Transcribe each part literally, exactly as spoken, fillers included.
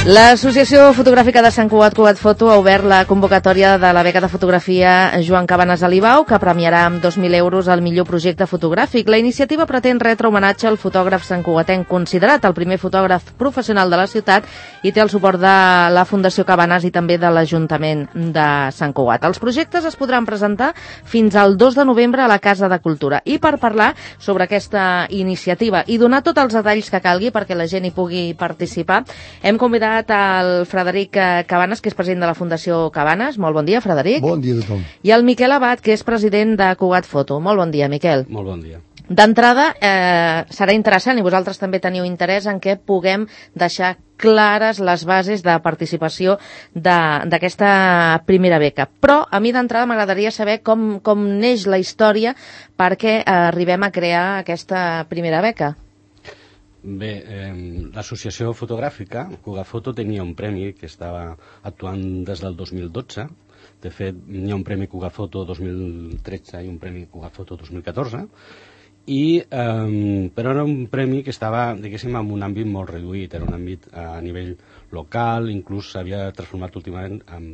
L'Associació Fotogràfica de Sant Cugat, Cugat Foto, ha obert la convocatòria de la beca de fotografia Joan Cabanes Alibau, que premiarà amb dos mil euros el millor projecte fotogràfic. La iniciativa pretén retre homenatge al fotògraf santcugatenc considerat el primer fotògraf professional de la ciutat i té el suport de la Fundació Cabanes i també de l'Ajuntament de Sant Cugat. Els projectes es podran presentar fins al dos de novembre a la Casa de Cultura. I per parlar sobre aquesta iniciativa i donar tots els detalls que calgui perquè la gent hi pugui participar, hem convidat al Frederic Cabanes, que és president de la Fundació Cabanes. Molt bon dia, Frederic. Bon dia a tothom. I el Miquel Abad, que és president de Cugat Foto. Molt bon dia, Miquel. Molt bon dia. D'entrada, eh, serà interessant, i vosaltres també teniu interès en què puguem deixar clares les bases de participació d'aquesta primera beca. Però a mi d'entrada m'agradaria saber com, com neix la història perquè eh, arribem a crear aquesta primera beca. Bé, eh, l'associació fotogràfica, Cugat Foto, tenia un premi que estava actuant des del dos mil dotze. De fet, hi ha un premi Cugat Foto dos mil tretze i un premi Cugat Foto dos mil catorze. I, eh, però era un premi que estava, diguéssim, en un àmbit molt reduït, era un àmbit a nivell local, inclús s'havia transformat últimament en,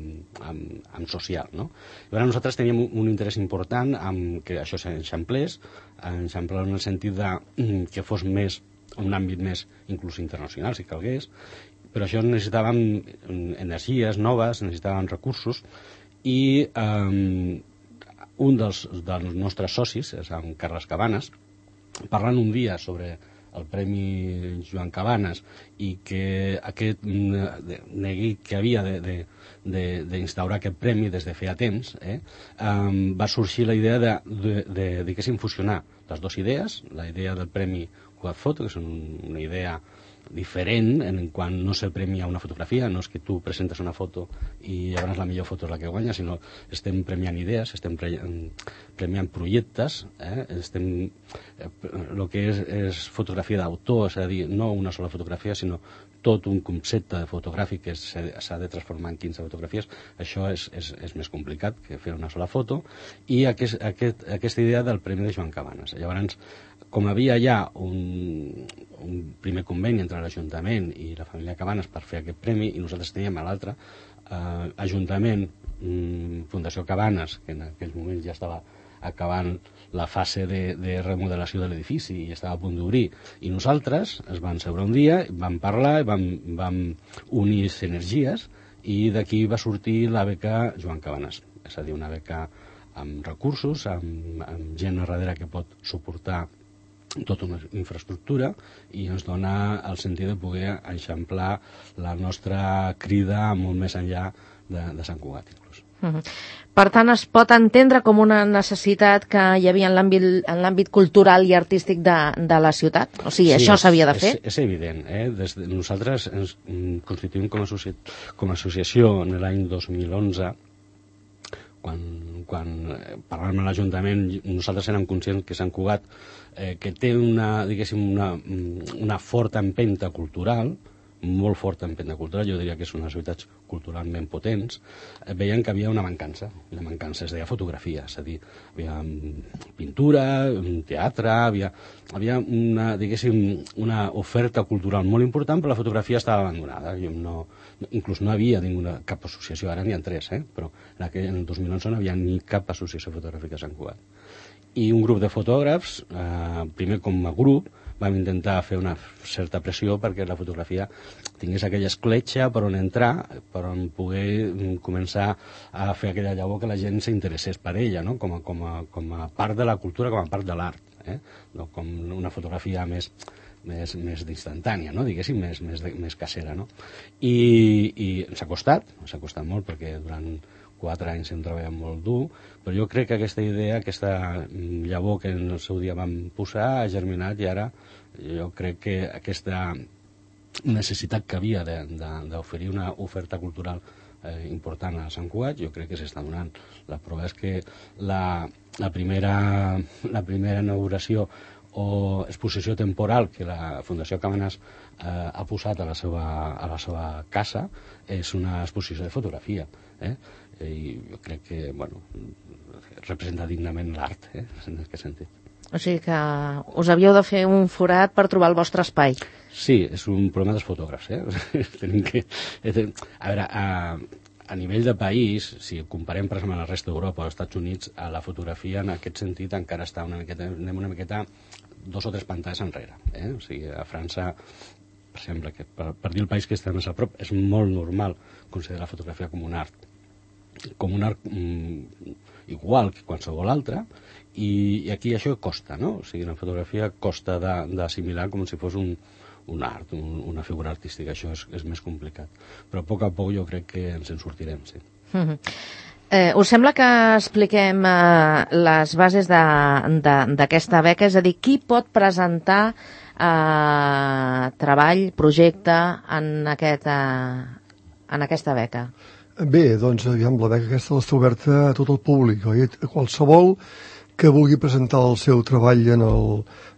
en, en social, no? Llavors nosaltres teníem un interès important en que això s'enxamplés, enxamplar en el sentit de que fos més un àmbit més inclús internacional, si calgués, però això necessitàvem energies noves, necessitàvem recursos, i eh, un dels, dels nostres socis, és en Carles Cabanes, parlant un dia sobre el Premi Joan Cabanes i que aquest neguit que havia d'instaurar aquest premi des de feia temps, eh, um, va sorgir la idea de, de, de, diguéssim, fusionar les dues idees, la idea del Premi Cugat Foto, que és una idea diferent en quan no se premia una fotografia, no és que tu presentes una foto i llavors la millor foto és la que guanya, sinó estem premiant idees, estem premiant projectes, eh? estem, el que és, és fotografia d'autor, és a dir, no una sola fotografia, sinó tot un concepte fotogràfic que s'ha de transformar en quinze fotografies. Això és, és, és més complicat que fer una sola foto, i aquest, aquest, aquesta idea del Premi de Joan Cabanes. Llavors, com havia ja un, un primer conveni entre l'Ajuntament i la família Cabanes per fer aquest premi, i nosaltres teníem a l'altre, eh, Ajuntament, mm, Fundació Cabanes, que en aquell moment ja estava acabant la fase de, de remodelació de l'edifici i estava a punt d'obrir, i nosaltres es van seure un dia, vam parlar, vam, vam unir energies, i d'aquí va sortir la beca Joan Cabanes, és a dir, una beca amb recursos, amb, amb gent a darrere que pot suportar tota una infraestructura, i ens dona el sentit de poder eixamplar la nostra crida molt més enllà de, de Sant Cugat, inclús. Uh-huh. Per tant, es pot entendre com una necessitat que hi havia en l'àmbit cultural i artístic de, de la ciutat? O sigui, sí, això s'havia de fer? És, és evident. Eh? Des de, nosaltres ens constituïm com a, associ, com a associació en l'any dos mil onze, quan, quan parlàvem amb l'Ajuntament, nosaltres érem conscients que Sant Cugat, eh, que té una, diguéssim, una, una forta empenta cultural, molt forta empenta cultural, jo diria que són unes ciutats culturalment potents, eh, veien que havia una mancança. La mancança es deia fotografia, és a dir, havia pintura, teatre, havia, havia una, diguéssim, una oferta cultural molt important, però la fotografia estava abandonada. Jo no, inclús no havia ninguna, cap associació, ara n'hi ha tres, eh? Però en, aquell, en el dos mil onze no havia ni cap associació fotogràfica a Sant Cugat. I un grup de fotògrafs, eh, primer com a grup, vam intentar fer una certa pressió perquè la fotografia tingués aquella escletxa per on entrar, per on poder començar a fer aquella llavor que la gent s'interessés per ella, no? com, a, com, a, com a part de la cultura, com a part de l'art, eh? No com una fotografia més, més, més instantània, no? Diguéssim, més, més, més casera. No? I, i ens ha costat, ens ha costat molt perquè durant quatre anys hem treballat molt dur, però jo crec que aquesta idea, aquesta llavor que en el seu dia vam posar, ha germinat, i ara jo crec que aquesta necessitat que havia d'oferir una oferta cultural eh, important a Sant Cugat, jo crec que s'està donant. La prova és que la, la, primera, la primera inauguració o exposició temporal que la Fundació Cabanes eh, ha posat a la, seva, a la seva casa és una exposició de fotografia, eh? I jo crec que, bueno, representa dignament l'art, eh? En aquest sentit. O sigui que us havíeu de fer un forat per trobar el vostre espai. Sí, és un problema dels fotògrafs, eh? Tenim que... A veure, a, a nivell de país, si comparem, per exemple, amb la resta d'Europa o als Estats Units, a la fotografia, en aquest sentit, encara està una miqueta, anem una miqueta dos o tres pantalles enrere. Eh? O sigui, a França, per exemple, que per, per dir el país que està més a prop, és molt normal considerar la fotografia com un art. Com un art mm, igual que qualsevol altre, i, i aquí això costa, no? O sigui, la fotografia costa d'assimilar com si fos un, un art, un, una figura artística, això és, és més complicat. Però a poc a poc jo crec que ens en sortirem, sí. Mm-hmm. eh, us sembla que expliquem eh, les bases d'aquesta beca? És a dir, qui pot presentar eh, treball, projecte en, aquest, eh, en aquesta beca? Bé, doncs, aviam, la beca aquesta està oberta a tot el públic, oi? A qualsevol que vulgui presentar el seu treball en el,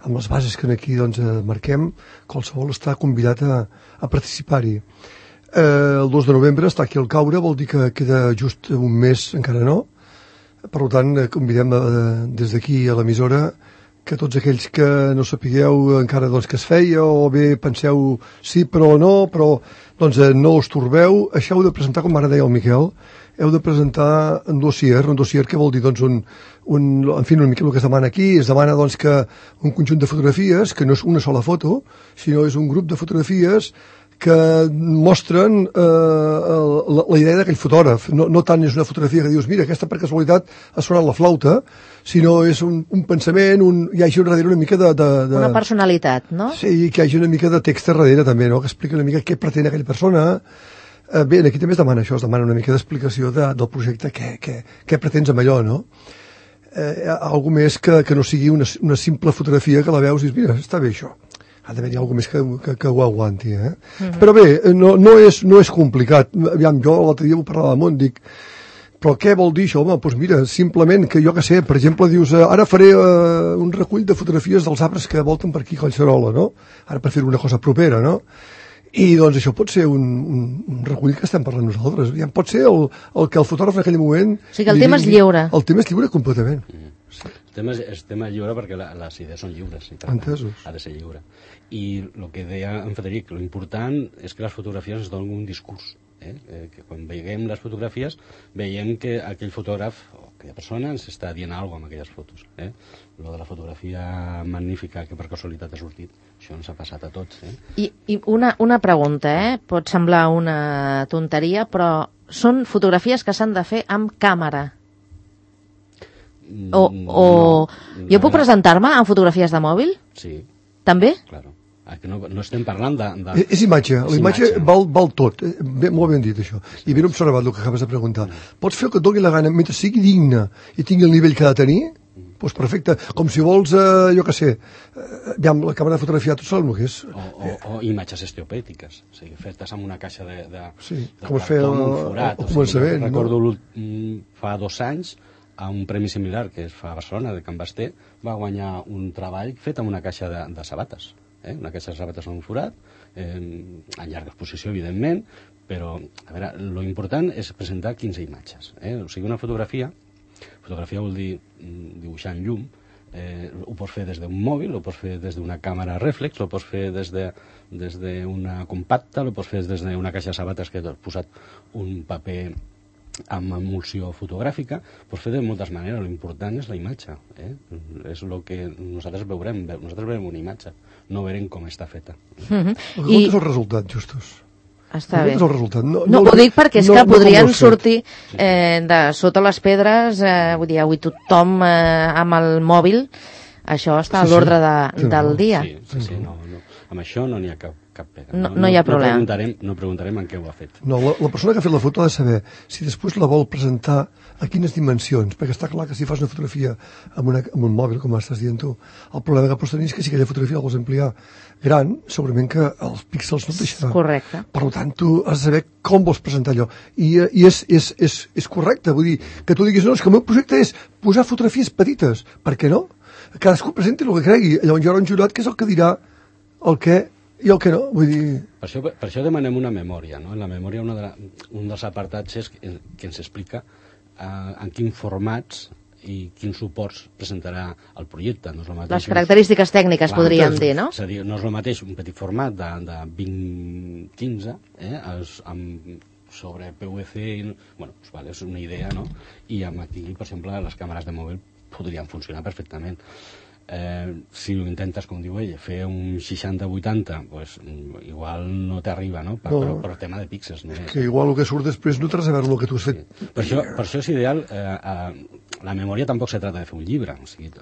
amb les bases que aquí doncs, marquem, qualsevol està convidat a, a participar-hi. Eh, el dos de novembre està aquí al caure, vol dir que queda just un mes, encara no. Per tant, convidem a, des d'aquí a l'emissora que tots aquells que no sapigueu encara doncs, que es feia, o bé penseu sí però no, però doncs eh, no us torbeu, això heu de presentar, com ara deia el Miquel, heu de presentar un dossier, un dossier que vol dir doncs un, un, en fi, una mica el que es demana aquí, es demana doncs que un conjunt de fotografies, que no és una sola foto, sinó és un grup de fotografies que mostren eh, la, la idea d'aquell fotògraf. No, no tant és una fotografia que dius, mira, aquesta per casualitat ha sonat la flauta, sinó és un, un pensament, un, hi hagi darrere una mica de, de, de... Una personalitat, no? Sí, que hi hagi una mica de text darrere també, no? Que explica una mica què pretén aquella persona. Eh, bé, aquí també es demana això, es demana una mica d'explicació de, del projecte, què, què, què pretens amb allò, no? Eh, algo més que, que no sigui una, una simple fotografia que la veus i dius, mira, està bé això. Ha d'haver-hi alguna més que, que, que ho aguanti, eh? Mm-hmm. Però bé, no, no, és, no és complicat. Aviam, jo l'altre dia ho parlava amb un, dic, però què vol dir això? Home, doncs mira, simplement que jo que sé, per exemple, dius, eh, ara faré eh, un recull de fotografies dels arbres que volten per aquí a Collserola, no? Ara per fer una cosa propera, no? I doncs això pot ser un, un, un recull que estem parlant nosaltres. Aviam, pot ser el, el que el fotògraf en aquell moment... O sigui que el tema és lliure. El tema és lliure completament. Mm. Sí. El tema és, és tema lliure perquè la, les idees són lliures. Entesos. Ha de ser lliure. I el que deia en Frederic, l'important és que les fotografies ens donen un discurs. Eh? Eh, que quan veiem les fotografies veiem que aquell fotògraf o aquella persona ens està dient alguna cosa amb aquelles fotos. Eh? Lo de la fotografia magnífica que per casualitat ha sortit, això ens ha passat a tots. Eh? I, i una, una pregunta, eh? Pot semblar una tonteria, però són fotografies que s'han de fer amb càmera. O, o... No, jo puc presentar-me amb fotografies de mòbil? Sí. També? Claro. Que no, no estem parlant de... de... És imatge, la imatge, imatge. Val, val tot, ben, molt ben dit això, i ben observat el que acabes de preguntar. Pots fer el que et doni la gana, mentre sigui digne i tingui el nivell que ha de tenir, doncs perfecte, com si vols, eh, jo què sé, eh, aviam, la càmera de fotografia, tu saps el que és? O, o, o imatges esteopètiques, o sigui, fetes amb una caixa de, de, sí, de com es feia cartó amb un forat. El, el començament, o sigui, recordo no? fa dos anys, a un premi similar que es fa a Barcelona, de Can Basté, va guanyar un treball fet amb una caixa de, de sabates. Eh? Una caixa de sabates amb un forat, eh, en llarga exposició, evidentment, però, a veure, lo important és presentar quinze imatges. Eh? O sigui, una fotografia, fotografia vol dir dibuixar en llum, eh, ho pots fer des d'un mòbil, ho pots fer des d'una càmera reflex, ho pots fer des de, des d'una compacta, ho pots fer des d'una caixa de sabates que has posat un paper amb emulsió fotogràfica, pots fer de moltes maneres. L'important és la imatge, eh? És el que nosaltres veurem, nosaltres veurem una imatge, no veurem com està feta. Mm-hmm. El que I... és el resultat, Justus. Està bé. És el resultat. No, no, no, ho dic perquè és no, que no podrien sortir eh, de sota les pedres, eh, vull dir, avui tothom eh, amb el mòbil, això està sí, a l'ordre de, sí, del dia. Sí, sí, sí, no, no. Amb això no n'hi ha cap, cap pega. No, no, no hi ha problema. No preguntarem, no preguntarem en què ho ha fet. No, la, la persona que ha fet la foto ha de saber si després la vol presentar a quines dimensions, perquè està clar que si fas una fotografia amb, una, amb un mòbil, com estàs dient tu, el problema que pots tenir és que si aquella fotografia la vols ampliar gran, segurament que els píxels no et deixaran. Correcte. Per tant, tu has de saber com vols presentar allò. I, i és, és, és, és correcte, vull dir, que tu diguis, no, és que el meu projecte és posar fotografies petites. Per què no? Cadascú presenti el que cregui. Llavors hi haurà un jurat que és el que dirà el que i el que no, vull dir... Per això, per això demanem una memòria, no? En la memòria una de la, un dels apartats és que, que ens explica uh, en quins formats i quins suports presentarà el projecte. No és el mateix, les característiques tècniques, clar, podríem dir, no? És a dir, no és el mateix un petit format de, de vint quinze, eh, es, amb, sobre P V C, i, bueno, pues, vale, és una idea, no? I amb aquí, per exemple, les càmeres de mòbil podrien funcionar perfectament. Eh, si ho intentes, com diu ell, fer un seixanta vuitanta, pues, igual no t'arriba, no? Per, no. Per, per tema de píxels. No? Que igual el que surt després no té res a veure el que tu has fet. Sí. Per, això, per això és ideal, eh, eh, la memòria tampoc se trata de fer un llibre, o sigui,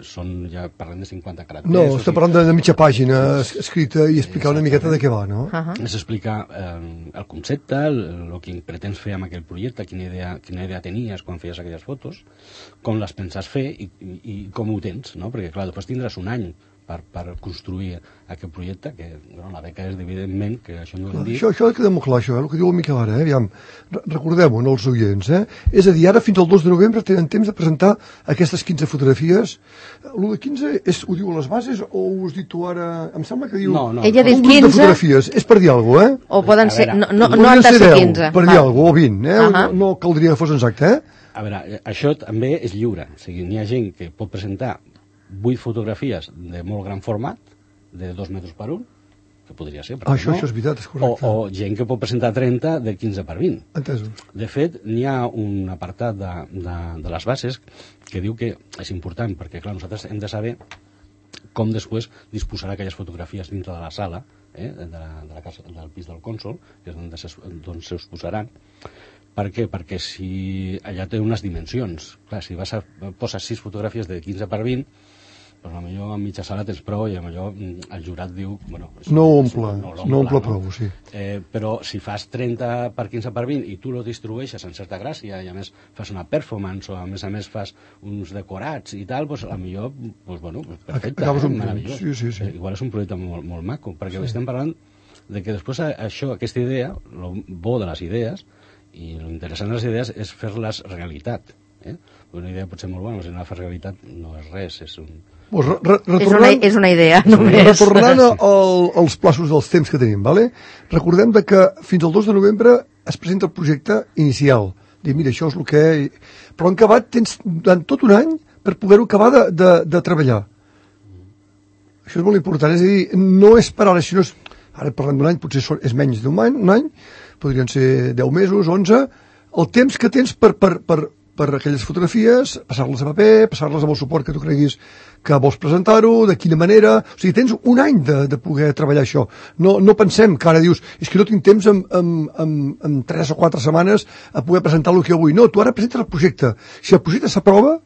són, ja parlem de cinquanta caràcters. No, estem sigui... parlant de, de mitja pàgina escrita i explicar una miqueta de què va, no? Uh -huh. És explicar eh, el concepte, el, el que pretens fer amb aquell projecte, quina idea, quina idea tenies quan feies aquelles fotos, com les penses fer i, i, i com ho tens, no? Perquè, clar, després tindràs un any per, per construir aquest projecte, que bueno, la beca és, evidentment, que això no ho hem dit. Això, això queda molt clar, això, eh? El que diu el Miquel ara, eh? Aviam, recordem-ho, no, els oients, eh? És a dir, ara fins al dos de novembre tenen temps de presentar aquestes quinze fotografies. l'u de quinze és, ho diu a les bases o ho has dit tu ara? Em sembla que diu... No, no. Ella ha dit un quinze. De fotografies, és per dir alguna cosa, eh? O poden ser, veure, no, no, no han de ser deu, quinze. per dir alguna cosa, o vint, eh? Uh -huh. no, no caldria que fos exacte, eh? A veure, això també és lliure, o sigui, n'hi ha gent que pot presentar vuit fotografies de molt gran format, de dos metres per un, que podria ser, ah, això, no? això és veritat, és correcte. O, o gent que pot presentar trenta de quinze per vint. Entesos. De fet, n'hi ha un apartat de, de, de les bases que diu que és important, perquè clar, nosaltres hem de saber com després disposarà aquelles fotografies dintre de la sala, eh, de, la, de la casa, del pis del cònsol, que és on se'ls posaran. Per què? Perquè si allà té unes dimensions. Clar, si vas a posar sis fotografies de quinze per vint, doncs potser en mitja sala tens prou i potser el jurat diu... Bueno, no omple, no, no omple prou, no? Sí. Eh, però si fas trenta per quinze per vint i tu lo distribueixes en certa gràcia i a més fas una performance o a més a més fas uns decorats i tal, doncs potser, doncs, bueno, perfecte, eh, un meravellós. Sí, sí, sí. Eh, igual és un projecte molt, molt maco, perquè sí. Estem parlant de que després això, aquesta idea, el bo de les idees i l'interessant de les idees és fer-les realitat. Eh? Una idea pot ser molt bona, però si no la fas realitat no és res, és un... Pues re, re, és, una, és una idea, només. Retornant al, als plaços dels temps que tenim, vale? Recordem de que fins al dos de novembre es presenta el projecte inicial. Dir, mira, això és el que... Però en acabat tens durant tot un any per poder-ho acabar de, de, de treballar. Això és molt important, és a dir, no és per ara, si no és... Ara parlem d'un any, potser és menys d'un any, un any, podrien ser deu mesos, onze, el temps que tens per, per, per, per aquelles fotografies, passar-les a paper, passar-les amb el suport que tu creguis que vols presentar-ho, de quina manera... O sigui, tens un any de, de poder treballar això. No, no pensem que ara dius, és que no tinc temps en, en, en, en tres o quatre setmanes a poder presentar el que jo vull. No, tu ara presentes el projecte. Si el projecte s'aprova,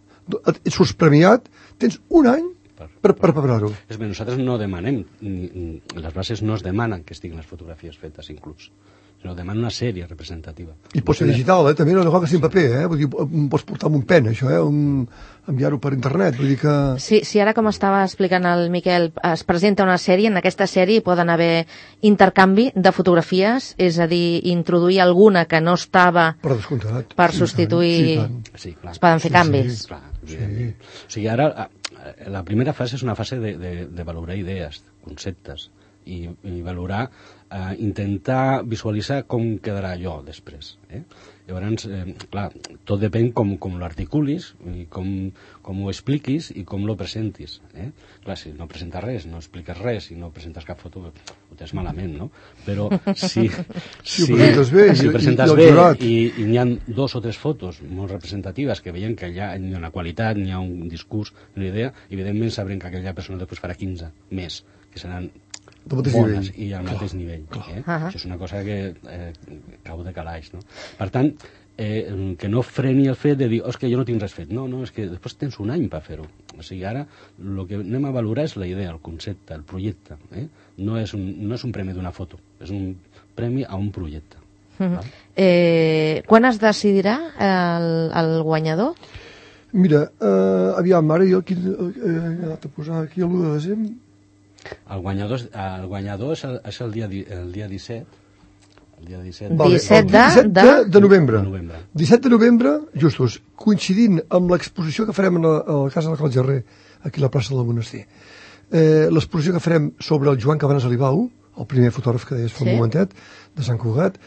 et surts premiat, tens un any per, per preparar-ho. És bé, nosaltres no demanem, les bases no es demanen que estiguin les fotografies fetes inclús, sinó demanen una sèrie representativa. I pot ser digital, eh? També no cal que sigui en paper, eh? Vull dir, pots portar amb un pen, això, eh? Un... enviar-ho per internet, vull dir que... Sí, sí, ara com estava explicant el Miquel, es presenta una sèrie, en aquesta sèrie poden haver intercanvi de fotografies, és a dir, introduir alguna que no estava per descomptat, per substituir... Sí, clar. Es poden fer sí, canvis. Sí, clar, sí. O sigui, ara, la primera fase és una fase de, de, de valorar idees, conceptes, i, i valorar, eh, intentar visualitzar com quedarà allò després. Eh? Llavors, eh, clar, tot depèn com, com l'articulis, i com, com ho expliquis i com lo presentis. Eh? Clar, si no presentes res, no expliques res i no presentes cap foto, ho tens malament, no? Però si, si, si ho presentes bé, si ho presentes i, i, bé i, i n'hi ha dos o tres fotos molt representatives que veiem que allà hi ha una qualitat, n'hi ha un discurs, una idea, evidentment sabrem que aquella persona després farà quinze més, que seran bones nivell. I al clar, mateix nivell. Clar. Eh? Uh -huh. Això és una cosa que eh, cau de calaix. No? Per tant, eh, que no freni el fet de dir oh, és que jo no tinc res fet. No, no, és que després tens un any per fer-ho. O sigui, ara el que anem a valorar és la idea, el concepte, el projecte. Eh? No, és un, no és un premi d'una foto, és un premi a un projecte. Uh -huh. eh, quan es decidirà el, el guanyador? Mira, eh, aviam, ara jo aquí eh, he anat a posar aquí l'u de desembre. El guanyador, el guanyador és, el, és el, dia, el dia disset. El dia disset, vale, disset, de, disset de, de novembre. De novembre. disset de novembre, justos, coincidint amb l'exposició que farem a la, a la Casa de Cal Gerrer, aquí a la plaça del Monestir. Eh, l'exposició que farem sobre el Joan Cabanes Alibau, el primer fotògraf que deies fa sí. un momentet, de Sant Cugat,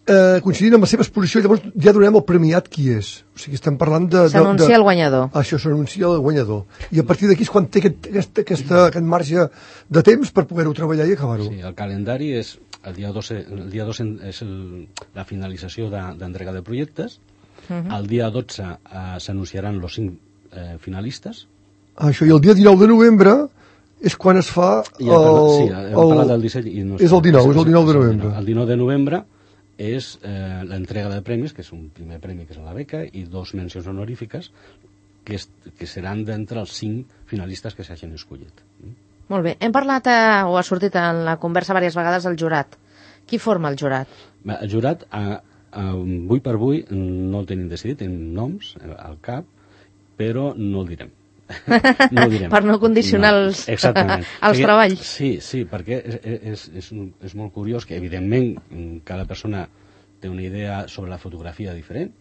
eh, coincidint amb la seva exposició, llavors ja donem el premiat qui és. O sigui, estem parlant de... S'anuncia el guanyador. Això, s'anuncia el guanyador. I a partir d'aquí és quan té aquest, aquest, aquesta, aquest marge de temps per poder-ho treballar i acabar-ho. Sí, el calendari és... El dia dos, el dia dos és el, la finalització d'entrega de, de projectes. Uh -huh. El dia dotze eh, s'anunciaran els cinc eh, finalistes. Ah, això, i el dia dinou de novembre és quan es fa el... Sí, hem parlat del disseny i no és el dinou, és el dinou de novembre. El dinou de novembre és eh, l'entrega de premis, que és un primer premi que és la beca, i dos mencions honorífiques que, és, que seran d'entre els cinc finalistes que s'hagin escollit. Molt bé. Hem parlat, eh, o ha sortit en la conversa diverses vegades, el jurat. Qui forma el jurat? El jurat, a, a, avui per avui, no el tenim decidit, tenim noms al cap, però no el direm. No ho direm. Per no condicionar no, els, els perquè, treballs. Sí, sí, perquè és, és, és, és molt curiós que, evidentment, cada persona té una idea sobre la fotografia diferent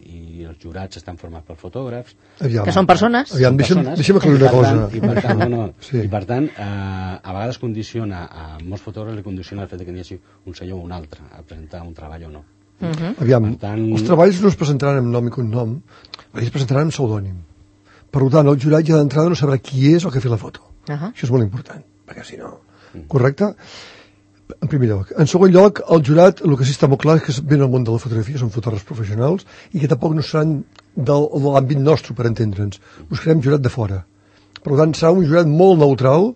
i els jurats estan formats per fotògrafs. Aviam, que són persones. Aviam, deixa'm, deixa'm aclarir una cosa. I per tant, no, no, sí. I per tant eh, a vegades condiciona, a molts fotògrafs li condiciona el fet que n'hi hagi un senyor o un altre a presentar un treball o no. Uh -huh. Aviam, tant... els treballs no es presentaran amb nom i cognom, es presentaran amb pseudònim. Per tant, el jurat ja d'entrada no sabrà qui és el que ha fet la foto. Uh -huh. Això és molt important, perquè si no... Mm. Correcte? En primer lloc. En segon lloc, el jurat, el que sí està molt clar és que ven al món de la fotografia, són fotògrafs professionals, i que tampoc no seran del, de l'àmbit nostre, per entendre'ns. Buscarem jurat de fora. Per tant, serà un jurat molt neutral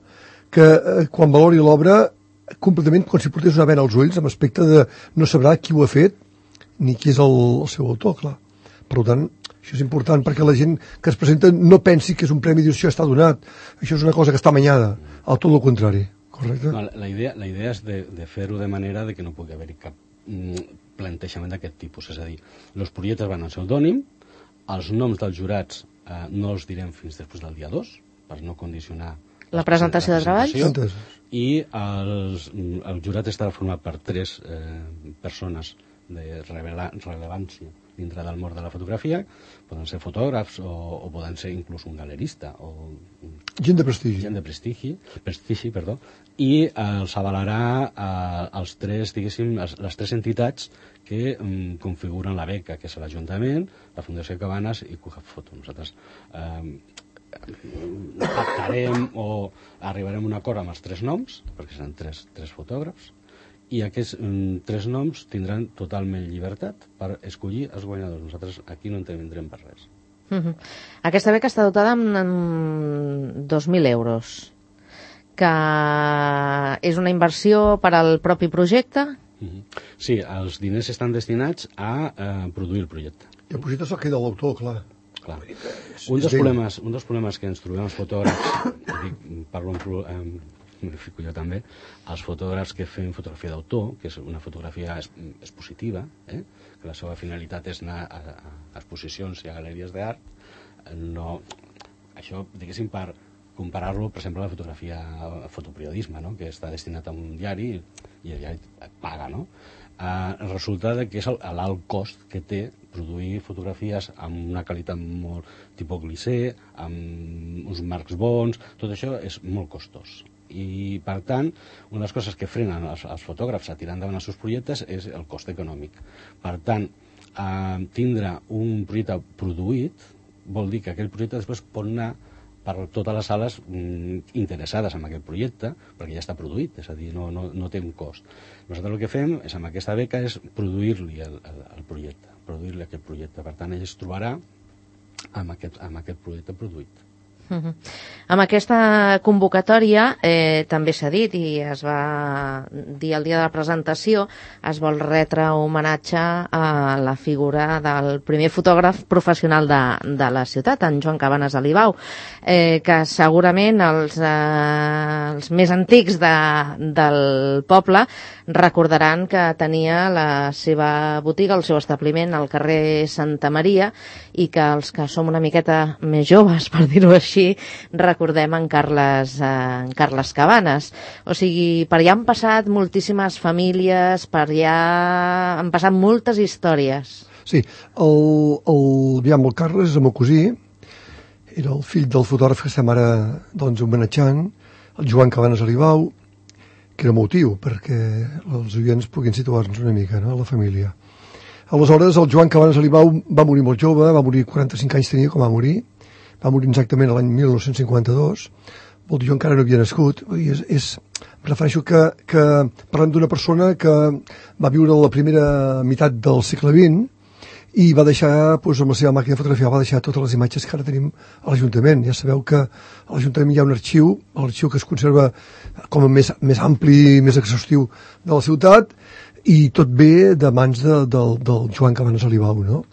que, eh, quan valori l'obra, completament com si portés una vena als ulls, amb aspecte de no sabrà qui ho ha fet, ni qui és el, el seu autor, clar. Per tant, això és important perquè la gent que es presenta no pensi que és un premi i això està donat. Això és una cosa que està amanyada, al tot el contrari. Correcte? No, la, idea, la idea és de, de fer-ho de manera de que no pugui haver-hi cap mm, plantejament d'aquest tipus. És a dir, els projectes van al pseudònim, els noms dels jurats eh, no els direm fins després del dia dos, per no condicionar la presentació de treballs. I els, el jurat estarà format per tres eh, persones de revela, rellevància dintre del món de la fotografia. Poden ser fotògrafs o, o poden ser inclús un galerista o gent de prestigi, gent de prestigi, prestigi perdó, i els avalarà eh, els tres, diguéssim, les, les tres entitats que um, configuren la beca, que és l'Ajuntament, la Fundació Cabanes i Cugat Foto. Nosaltres eh, pactarem o arribarem a un acord amb els tres noms, perquè seran tres, tres fotògrafs, i aquests mm, tres noms tindran totalment llibertat per escollir els guanyadors. Nosaltres aquí no intervindrem per res. Uh -huh. Aquesta beca està dotada amb, amb dos mil euros, que és una inversió per al propi projecte? Uh -huh. Sí, els diners estan destinats a eh, produir el projecte. I el projecte se'l queda l'autor, clar. Clar. Un dels, problemes, un dels problemes que ens trobem els fotògrafs, dic, parlo en... en m'hi fico jo també, els fotògrafs que fem fotografia d'autor, que és una fotografia expositiva, eh? Que la seva finalitat és anar a, a exposicions i a galeries d'art, no, això, diguéssim, per comparar-lo, per exemple, a la fotografia, a fotoperiodisme, no? Que està destinat a un diari i el diari et paga, no? Eh, resulta que és l'alt cost que té produir fotografies amb una qualitat molt tipus glissé, amb uns marcs bons, tot això és molt costós. I, per tant, una de les coses que frenen els, els fotògrafs a tirar endavant els seus projectes és el cost econòmic. Per tant, eh, tindre un projecte produït vol dir que aquell projecte després pot anar per totes les sales mm, interessades en aquest projecte, perquè ja està produït, és a dir, no, no, no té un cost. Nosaltres el que fem és, amb aquesta beca, és produir-li el, el, el projecte, produir-li aquest projecte. Per tant, ell es trobarà amb aquest, amb aquest projecte produït. Uh -huh. Amb aquesta convocatòria eh, també s'ha dit i es va dir el dia de la presentació, es vol retre homenatge a la figura del primer fotògraf professional de, de la ciutat, en Joan Cabanes Alibau, eh, que segurament els, eh, els més antics de, del poble recordaran que tenia la seva botiga, el seu establiment al carrer Santa Maria, i que els que som una miqueta més joves, per dir-ho així, recordem en Carles, eh, en Carles Cabanes. O sigui, per allà han passat moltíssimes famílies, per allà han passat moltes històries. Sí, el, el, aviam, el Carles, el meu cosí, era el fill del fotògraf que estem ara doncs, homenatjant, el Joan Cabanes Alibau, que era motiu perquè els oients puguin situar-nos una mica, no?, a la família. Aleshores, el Joan Cabanes Alibau va morir molt jove, va morir quaranta-cinc anys tenia quan va morir, va morir exactament l'any mil nou-cents cinquanta-dos, vol dir, jo encara no havia nascut, i és, és, em refereixo que, que parlem d'una persona que va viure la primera meitat del segle vint i va deixar, doncs, amb la seva màquina de fotografia, va deixar totes les imatges que ara tenim a l'Ajuntament. Ja sabeu que a l'Ajuntament hi ha un arxiu, l'arxiu que es conserva com a més, més ampli, més exhaustiu de la ciutat, i tot ve de mans de, del, del Joan Cabanes Alibau, no?,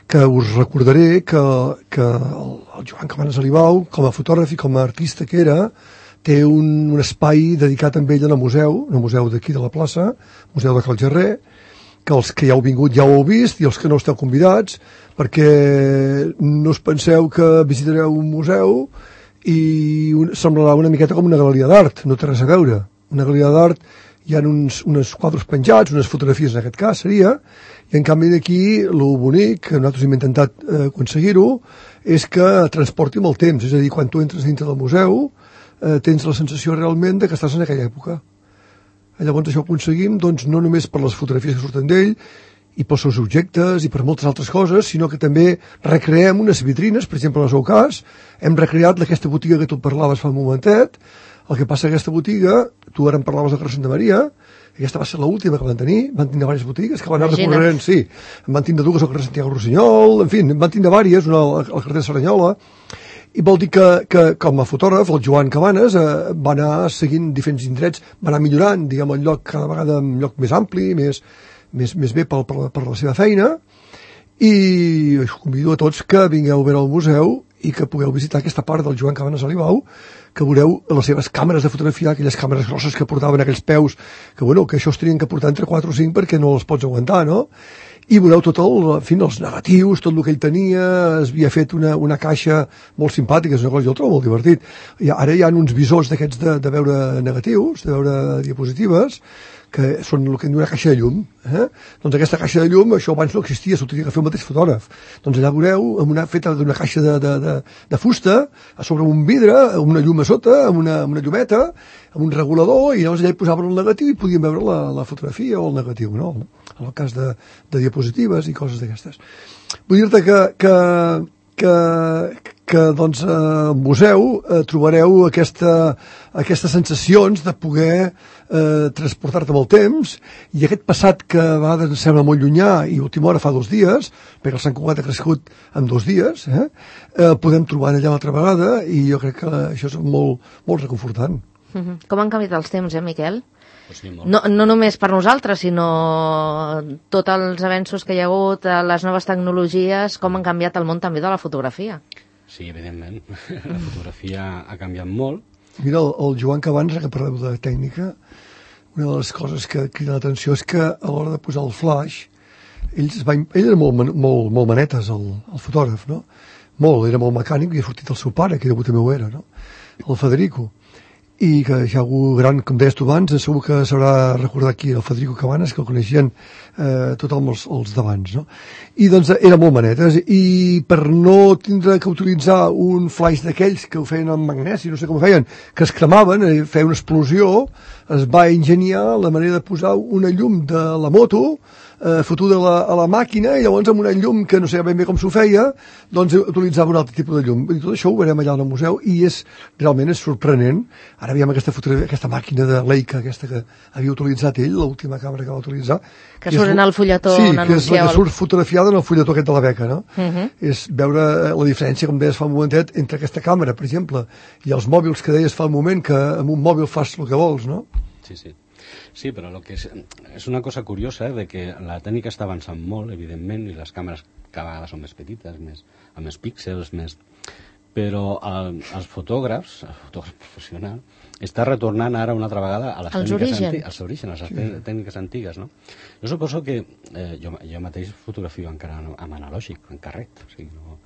que us recordaré que, que el, el Joan Cabanes Alibau, com a fotògraf i com a artista que era, té un, un espai dedicat amb ell en el museu, en el museu d'aquí de la plaça, Museu de Cal Gerrer, que els que ja heu vingut ja ho heu vist, i els que no esteu convidats, perquè no us penseu que visitareu un museu i un, semblarà una miqueta com una galeria d'art, no té res a veure. Una galeria d'art, hi ha uns, uns quadres penjats, unes fotografies en aquest cas seria, i en canvi d'aquí el bonic, que nosaltres hem intentat eh, aconseguir-ho, és que transporti amb el temps, és a dir, quan tu entres dintre del museu eh, tens la sensació realment de que estàs en aquella època. I llavors això ho aconseguim doncs, no només per les fotografies que surten d'ell i pels seus objectes i per moltes altres coses, sinó que també recreem unes vitrines, per exemple en el seu cas, hem recreat aquesta botiga que tu parlaves fa un momentet. El que passa que aquesta botiga, tu ara em parlaves de Carrer Santa Maria, aquesta va ser l'última que van tenir, van tindre diverses botigues que van anar recorrent, sí, en van tindre dues al carrer Santiago Rossinyol, en fi, en van tindre diverses, una al, al carrer de Saranyola, i vol dir que, que com a fotògraf, el Joan Cabanes eh, va anar seguint diferents indrets, va anar millorant, diguem, el lloc cada vegada un lloc més ampli, més, més, més bé per, per, per la seva feina, i us convido a tots que vingueu a veure el museu i que pugueu visitar aquesta part del Joan Cabanes Alibau, que veureu les seves càmeres de fotografiar, aquelles càmeres grosses que portaven aquells peus, que bueno, que això es tenien que portar entre quatre o cinc perquè no els pots aguantar, no? I veureu tot el, en fi, els negatius, tot el que ell tenia, es havia fet una, una caixa molt simpàtica, és una cosa, jo el trobo molt divertit. I ara hi ha uns visors d'aquests de, de veure negatius, de veure diapositives, que són el que en diu una caixa de llum. Eh? Doncs aquesta caixa de llum, això abans no existia, s'ho tenia que fer el mateix fotògraf. Doncs allà veureu, amb una, feta d'una caixa de, de, de, de fusta, a sobre un vidre, amb una llum a sota, amb una, amb una llumeta, amb un regulador, i llavors allà hi posaven el negatiu i podíem veure la, la fotografia o el negatiu, no? En el cas de, de diapositives i coses d'aquestes. Vull dir-te que, que, que, que doncs, al museu eh, trobareu aquesta, aquestes sensacions de poder eh, transportar-te amb el temps, i aquest passat que a vegades ens sembla molt llunyà i a última hora fa dos dies, perquè el Sant Cugat ha crescut en dos dies, eh, eh, podem trobar allà l'altra vegada, i jo crec que això és molt, molt reconfortant. Mm-hmm. Com han canviat els temps, eh, Miquel? Pues sí, no, no només per nosaltres, sinó tots els avenços que hi ha hagut, les noves tecnologies, com han canviat el món també de la fotografia. Sí, evidentment. La fotografia ha canviat molt. Mira, el, el Joan Cabanes, que parleu de tècnica, una de les coses que crida l'atenció és que a l'hora de posar el flash, ell, es va, ell era molt, molt, molt manetes, el, el fotògraf, no? Molt, era molt mecànic, i ha sortit el seu pare, que degut també ho era, no? El Federico. I que ja algú gran, com deies tu abans, segur que s'haurà recordat aquí el Federico Cabanes, que el coneixien eh, tothom els, els d'abans, no? I doncs era molt manetes, i per no tindre que utilitzar un flaix d'aquells que ho feien amb magnesi, no sé com ho feien, que es cremaven, eh, feia una explosió, es va ingeniar la manera de posar una llum de la moto eh, fotuda a la, a la màquina, i llavors amb una llum que no sé ben bé com s'ho feia, doncs utilitzava un altre tipus de llum. I tot això ho veurem allà al museu, i és, realment és sorprenent. Ara veiem aquesta, aquesta màquina de Leica, aquesta que havia utilitzat ell, l'última càmera que va utilitzar. Que surt en el fulletó. Sí, que és la que surt fotografiada en el fulletó aquest de la beca, no? Uh -huh. És veure la diferència, com deies fa un momentet, entre aquesta càmera, per exemple, i els mòbils que deies fa un moment, que amb un mòbil fas el que vols, no? Sí, sí. Sí, però lo que és, és una cosa curiosa, eh, de que la tècnica està avançant molt, evidentment, i les càmeres cada vegada són més petites, més, amb més píxels, més... però el, els fotògrafs, el fotògraf professional, està retornant ara una altra vegada a les als tècniques orígens. antigues, als orígens, a les sí. tècniques antigues, no? Jo suposo que eh, jo, jo mateix fotografio encara amb analògic, en carret, o sigui, no,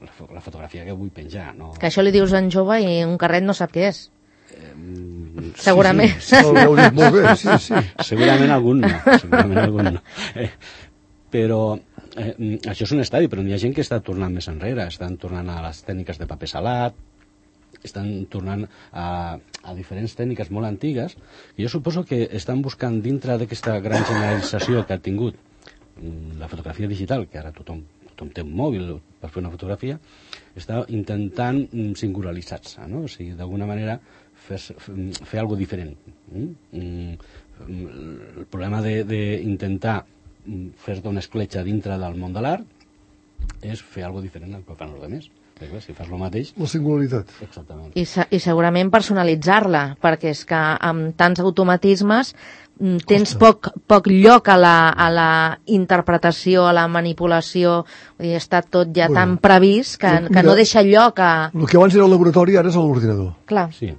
la, la fotografia que vull penjar, no... Que això li dius en jove i un carret no sap què és. Eh, segurament. Sí, sí, sí. Ho heu dit molt bé, sí, sí. Segurament algun no, segurament algun no. Eh, però eh, això és un estadi, però hi ha gent que està tornant més enrere, estan tornant a les tècniques de paper salat, estan tornant a, a diferents tècniques molt antigues, i jo suposo que estan buscant, dintre d'aquesta gran generalització que ha tingut la fotografia digital, que ara tothom, tothom té un mòbil per fer una fotografia, està intentant singularitzar-se, no? O sigui, d'alguna manera fer, fer alguna cosa diferent. El problema d'intentar fer-te una escletxa dintre del món de l'art és fer alguna cosa diferent del que fan els altres. Perquè si fas el mateix... La singularitat. Exactament. I, I segurament personalitzar-la, perquè és que amb tants automatismes tens poc, poc lloc a la, a la interpretació, a la manipulació, vull dir, està tot ja bueno, tan previst que, mira, que no deixa lloc a... El que abans era el laboratori ara és l'ordinador. Clar. Sí.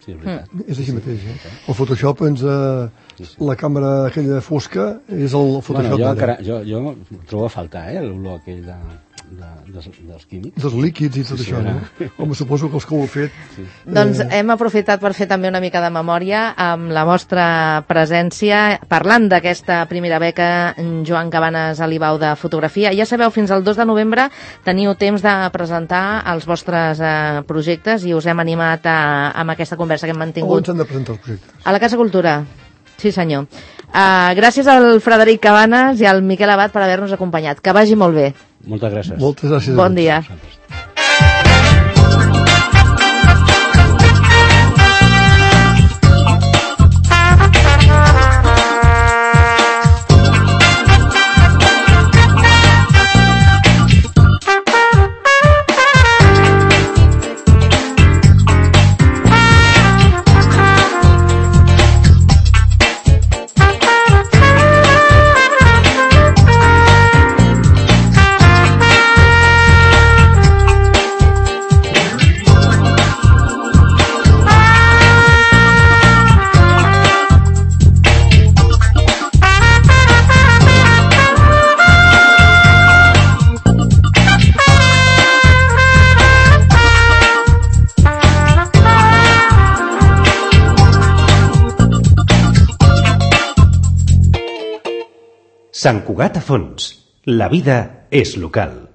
Sí, és veritat. Mm. És així mateix, eh? El Photoshop ens... Eh, sí, sí. La càmera aquella fosca és el Photoshop. Bueno, jo, encara, jo, jo trobo a faltar, eh, l'olor aquell de, de, de, dels químics. Dels líquids i tot sí, això, sí, no? Home, suposo que els que ho heu fet... Sí. Eh... Doncs hem aprofitat per fer també una mica de memòria amb la vostra presència, parlant d'aquesta primera beca Joan Cabanes Alibau de fotografia. Ja sabeu, fins al dos de novembre teniu temps de presentar els vostres eh, projectes i us hem animat a, amb aquesta conversa que hem mantingut. On s'han de presentar els projectes? A la Casa Cultura. Sí, senyor. Uh, gràcies al Frederic Cabanes i al Miquel Abad per haver-nos acompanyat. Que vagi molt bé. Moltes gràcies. Moltes gràcies. Bon dia. Sant Cugat a Fons. La vida és local.